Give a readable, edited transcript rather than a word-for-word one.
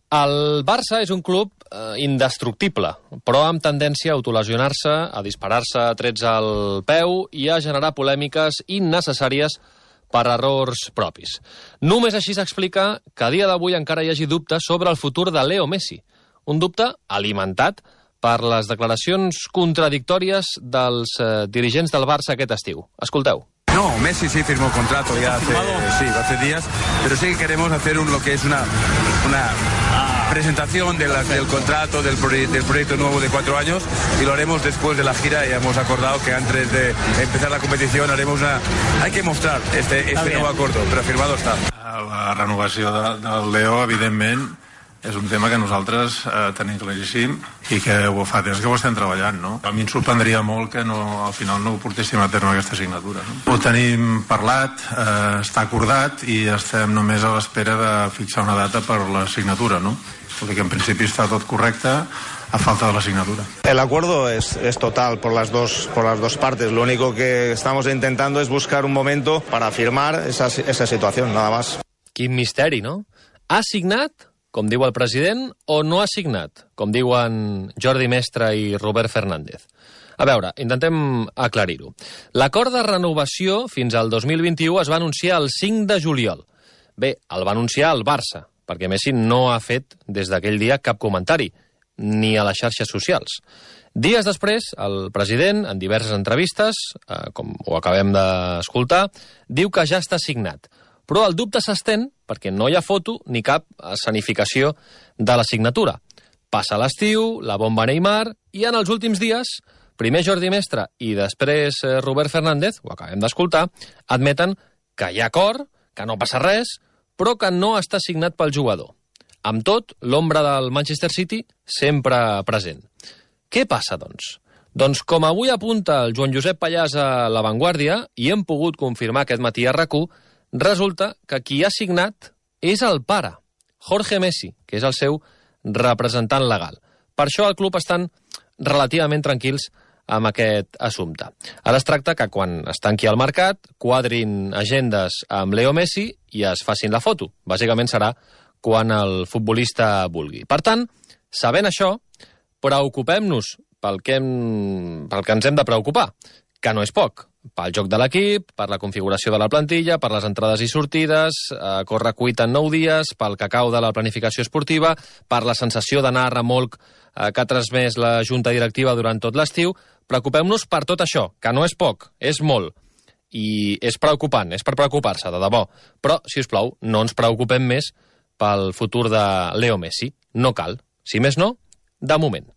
El Barça és un club indestructible, però amb tendència a autolesionar-se, a disparar-se trets al peu i a generar polèmiques innecessàries per errors propis. Només així s'explica que a dia d'avui encara hi hagi dubtes sobre el futur de Leo Messi. Un dubte alimentat per les declaracions contradictòries dels dirigents del Barça aquest estiu. Escolteu. No, Messi sí firmó contrato ya hace días, pero sí que queremos hacer lo que es una presentación del contrato, del proyecto nuevo de 4 años, y lo haremos después de la gira, y hemos acordado que antes de empezar la competición haremos hay que mostrar este nuevo acuerdo, però firmado està. La renovació del Leo, evidentment, és un tema que nosaltres tenim claríssim i que fa temps que ho estem treballant, no? A mi em sorprendria molt que al final no ho portéssim a terme aquesta signatura, no? Ho tenim parlat, està acordat i estem només a l'espera de fixar una data per la signatura, no? Perquè en principi està tot correcte a falta de la signatura. El acuerdo es total por las dos partes. Lo único que estamos intentando es buscar un momento para firmar esa situación, nada más. Quin misteri, no? Ha signat, com diu el president, o no ha signat, com diuen Jordi Mestre i Robert Fernández. A veure, intentem aclarir-ho. L'acord de renovació fins al 2021 es va anunciar el 5 de juliol. Bé, el va anunciar el Barça, perquè Messi no ha fet des d'aquell dia cap comentari, ni a les xarxes socials. Dies després, el president, en diverses entrevistes, com ho acabem d'escoltar, diu que ja està signat. Però el dubte s'estén perquè no hi ha foto ni cap escenificació de la signatura. Passa l'estiu, la bomba Neymar, i en els últims dies, primer Jordi Mestre i després Robert Fernández, ho acabem d'escoltar, admeten que hi ha acord, que no passa res, però que no està signat pel jugador. Amb tot, l'ombra del Manchester City sempre present. Què passa, doncs? Doncs com avui apunta el Joan Josep Pallàs a La Vanguardia, i hem pogut confirmar aquest matí a RAC1, resulta que qui ha signat és el pare, Jorge Messi, que és el seu representant legal. Per això al club estan relativament tranquils amb aquest assumpte. Ara es tracta que quan es tanqui el mercat, quadrin agendes amb Leo Messi i es facin la foto. Bàsicament serà quan el futbolista vulgui. Per tant, sabent això, preocupem-nos pel que ens hem de preocupar, que no és poc. Pel joc de l'equip, per la configuració de la plantilla, per les entrades i sortides, córrer cuita en 9 dies, pel cacau de la planificació esportiva, per la sensació d'anar a remolc que ha transmès la junta directiva durant tot l'estiu. Preocupem-nos per tot això, que no és poc, és molt. I és preocupant, és per preocupar-se, de debò. Però, si us plau, no ens preocupem més pel futur de Leo Messi. No cal. Si més no, de moment.